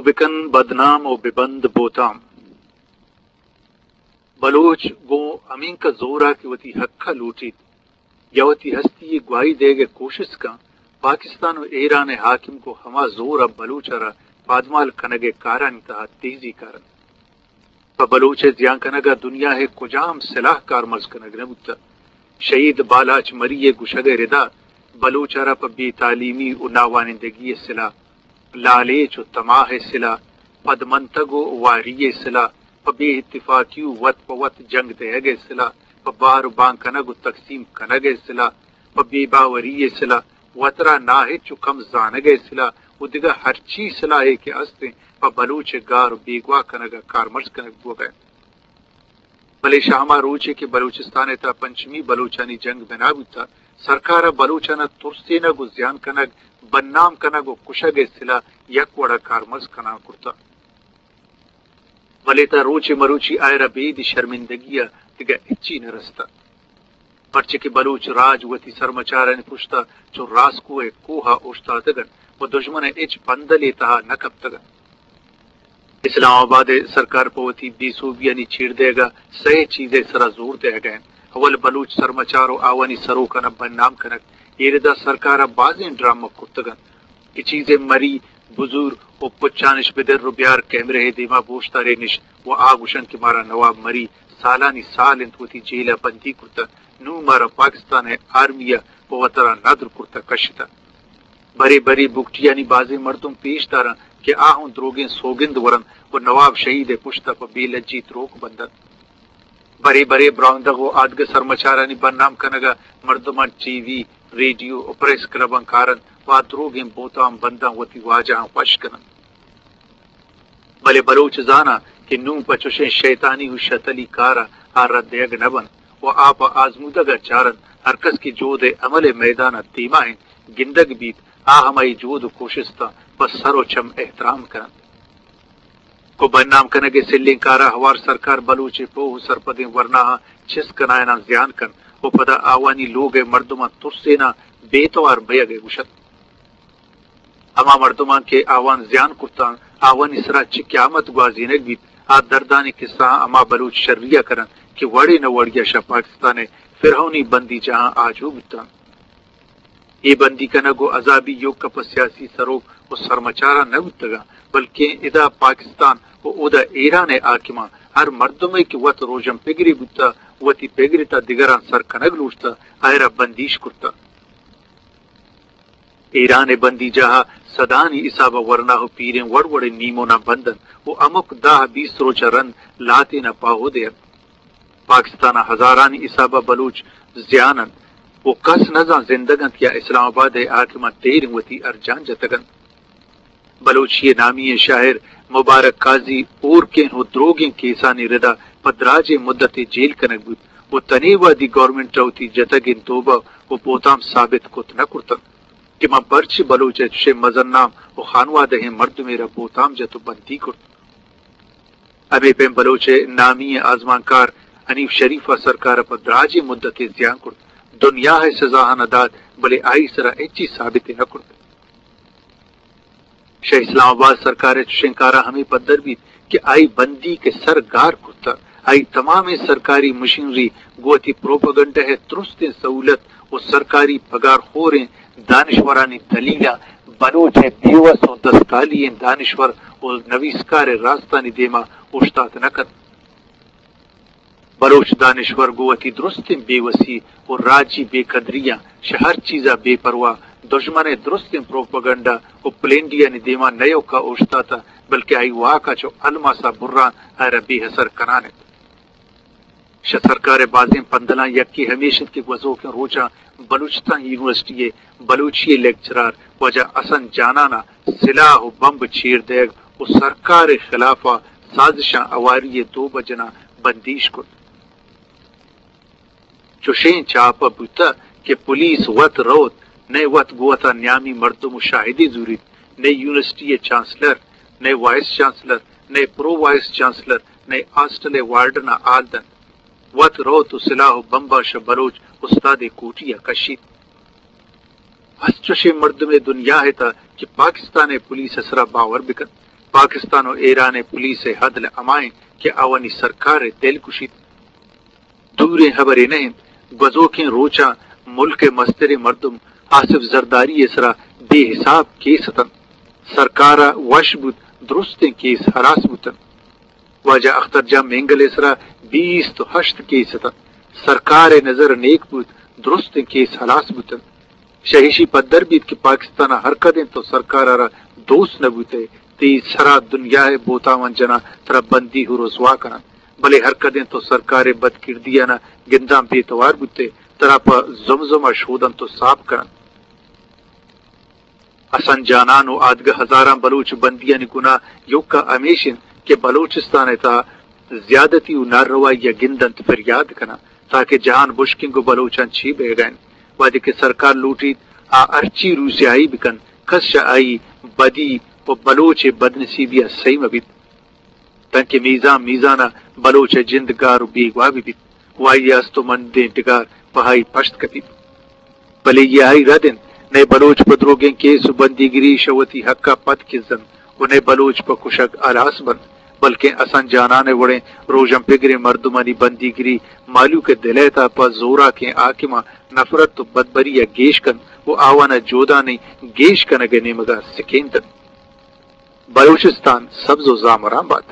بکن بدنام و ببند بوتام۔ بلوچ گوں ہمینکہ زورا کہ وتی حقا لوٹیت یا وتی ہستی گواہی دئیگ کوشست کن، پاکستان و ایران حاکم گوں ہما زورا بلوچ را پادمال کنگ کارانی تہا تیزی کارنت۔ پہ بلوچ ء زیان کنگ ء دنیا ء کجام سلاہ کارمرز کنگ نہ بوتگ۔ شہید بالاچ مری ء گوشگ ء ردا بلوچ ء را پہ بے تعلیمی و ناوانندگی ء سلاہ، لالچ و تماہ ء سلاہ، پدمنتگ و واری ء سلاہ، پہ بے اتفاقی و وت پہ وت جنگ دئیگ ء سلاہ، پہ بار و بان کنگ و تقسیم کنگ ء سلاہ، پہ بے باوری ء سلاہ، وترا ناہچ و کم زانگ ء سلاہ و دگہ ہرچی سلاہے کہ است انت، پہ بلوچ ء گار و بیگواہ کنگ ء کارمرز کنگ بوگ ء انت۔ بلے شہ ہما روچے کہ بلوچستان ء تہا پنچمی بلوچانی جنگ بنا بوتگ، سرکار ء بلوچان ء ترسینگ و زیان کنگ، بدنام کنگ و کشگ ء سلاہ یک وڑ ء کارمرز کنان کرتگ۔ بلے تا روچ مروچی آئرا بید شرمندگی ء دگہ ہچی نہ رستہ، پرچہ کہ بلوچ راج وتی سرمچارانی پشتا چو راسکو ء کوہ ء اوشتاتگ انت و دژمن ء ہچ پندلے تہا نہ کپتگ انت۔ اسلام آباد ء سرکار پہ وتی بے سوبیانی چیر دئیگ ء سئے چیز ء سرا زور دئیگ ء انت۔ اول بلوچ سرمچار و آوانی سروکان ء بدنام کنگ۔ اے ردا سرکار ء بازیں ڈرامہ کرتگ انت۔ کہ چیزے مری، بزور و پچانش بدر و بیار کیمرہ ء دیما بوشتارینش و آ گوشنت کہ مارا نواب مری سالانی سال انت وتی جیل ء بندی کرتگ، نوں مارا پاکستان ء آرمی ء پہ وترا ندر کرتگ کشتگ۔ برے برے بگٹیانی بازیں مردم پیش دارنت کہ آ ہوں دروگیں سوگند ورنت و نواب شہید ء پشت ء پہ بے لجی تروک بندنت۔ برے برے براہندگ و آدگہ سرمچارانی بدنام کنگ ء مردماں ٹی وی، ریڈیو و پریس کلباں کارنت و آ دروگیں بہتام بنداں وتی واجہاں وش کننت۔ بلے بلوچ زاناں کہ نوں پہ چشیں شیطانی و شتلی کار ء آ رد دئیگ نہ بنت و آ پہ آزمودگ ء چارنت، ہرکس کہ جہد ء عمل ء میدان ء دیما انت، گندگ بیت، آ ہمائی جہد و کوشستاں پہ سر و چم احترام کننت۔ گوں بدنام کنگ ء سلیں کار ء ہوار سرکار بلوچ ء پوہ و سرپدیں ورناہاں چست کنائیناں زیان کنت و پدا آوانی لوگ ء مردماں ترسیناں بے توار بئیگ ء گوشت۔ ہما مردماں کہ آوان زیان کرتاں، آوانی سرا چہ قیامت گوازینگ بیت، آ دردانی قصہاں ہما بلوچ شری ء کننت کہ وڑے نہ وڑے ء شہ پاکستان ء فرعونی بندی جاہاں آجو بوتاں۔ اے بندی کنگ و عذابی ایوک پہ سیاسی سروک و سرمچاراں نہ بوتگاں، بلکیں ادا پاکستان و اودا ایران ء حاکماں ہر مردمے کہ وت روژن پگرے بوتہ، وتی پگرے تا دگراں سر کنگ لوٹتہ، آئرا بندیش کرتہ۔ ایران ء بندی جاہ ء سدانی حساب ء ورنا و پیریں وڑ وڑیں نیموناں بند انت و ہمک دہ بیست روچ ء رند لہتین ء پاہو دئینت۔ پاکستان ء ہزارانی حساب ء بلوچ زیان انت و کس نزان زندگ انت یا اسلام آباد ء حاکماں تیریں وتی ارجان جتگ انت۔ بلوچی ء نامی ء شاعر مبارک قاضی ہورکیں و دروگیں کیسانی ردا پہ دراجیں مدتے جیل کنگ بوت و تنے وہدی گورنمنٹ ء وتی جتگیں توبہ و بہتام ثابت کت نہ کرتنت کہ من پرچے بلوچ ء چشیں مزن نام و خانوادہیں مردمے را بہتام جت و بندی کرت۔ ہمے پیم بلوچ ء نامی ء آزمانکار حنیف شریف ء سرکار ء پہ دراجیں مدتے زیان کرت، دنیا ء سزاہاں دات، بلے آئی سرا ہچی ثابتے نہ کرت۔ شہ اسلام آباد سرکار ء چشیں کاراں ہمے پدر بیت کہ آئی بندیک ء سر گار کرتہ، آئی تمامیں سرکاری مشینری گوں وتی پروپیگنڈہ ء درستیں سہولت و سرکاری پگارخوریں دانشورانی دلیل ء بلوچ ء بیوس و دستکالی ئیں دانشور و نویسکار ء راستانی دیما اوشتات نہ کنت۔ بلوچ دانشور گوں وتی درستیں بے وسی و راجی بے قدریاں شہ ہر چیزا بے پرواہ دژمن ء درستیں پروپیگنڈا و پلینڈیانی دیما نہ ایوکا اوشتاتہ، بلکہ آئی واکا چو الماسا بران آئرا بے اثر کنان انت۔ شہ سرکار ء بازیں پندلاں یکے ہمیش انت کہ گوزوکیں روچاں بلوچستان یونیورسٹی ء بلوچی ء لیکچرار واجہ حسن جانان ء سلاہ و بمب چیر دئیگ و سرکار ء خلاف ء سازشاں ہواری ء دو بجناں بندیش کت۔ چشیں چاپ ء بوتہ کہ پولیس وت روت، نئے وت گوں وتا نیامی مردم و شاہدے زوریت، نئے یونیورسٹی ء چانسلر، نئے وائس چانسلر، نئے پرو وائس چانسلر، نئے ہاسٹل ء وارڈن ء ہال دنت۔ وت روت و سلاہ و بمبا شہ بلوچ استادے کوٹی ء کشیت۔ ہست چشیں مردمے دنیا ء تہ کہ پاکستان ء پولیس ء سرا باور بکنت۔ پاکستان و ایران ء پولیس ء عدل ہما انت کہ آوانی سرکار ء دل گوشیت۔ دوریں ہبرے نہ انت، گوزوکیں روچاں ملک ء مستریں مردم آصف زرداری ء سرا بے حساب کیس اتنت۔ سرکار ء وش بوت، درستیں کیس ہلاس بوتنت۔ واجہ اختر جان مینگل ء سرا بیست و ہشت کیس اتنت۔ سرکار ء نظر نیک بوت، درستیں کیس ہلاس بوتنت۔ شہ ایشی پدر بیت کہ پاکستان ء ہر کدیں تو سرکار ء را دوست نہ بوتئے، تئی سرا دنیا ء بہتاوان جناں، ترا بندی و رسوا کناں، بلے ہر کدیں تو سرکار ء بدکردیاناں گنداں بے توار بوتئے، ترا پہ زمزم ء شودنت و ساپ کننت۔ حسن جانان و آدگہ ہزاراں بلوچ بندیانی گناہ یوکا ہمیش انت کہ بلوچستان ء تہا زیادتی و ناروائی ء گندنت، فریاد کناں تاکہ جہان بشکنگ و بلوچاں چی بیگا انت۔ وہدے کہ سرکار لوٹیت آ ہرچی روسیاہی بکنت، کس چہ آئی بدی و بلوچ ء بدنصیبی ء سہی مہ بیت۔ تانکہ میزان میزان ء بلوچ ء جند گار و بیگواہ بہ بیت و آئی ء استمندیں ڈگار پہ آئی پشت کپیت۔ بلے اے آئی رد انت، نئے بلوچ پہ دروگیں کیس و بندیگری شہ وتی حق ء پد کزنت و نئے بلوچ پہ کشگ ہلاس بنت، بلکیں حسن جانان ء وڑیں روژن پگریں مردمانی بندیگری مہلوک ء دل ء تہا پہ زوراکیں حاکماں نفرت و بدبری ء گیش کنت و آوان ء جودانی گیش کنگ ء نیمگ ء سکین دنت۔ بلوچستان سبز و زامران بات۔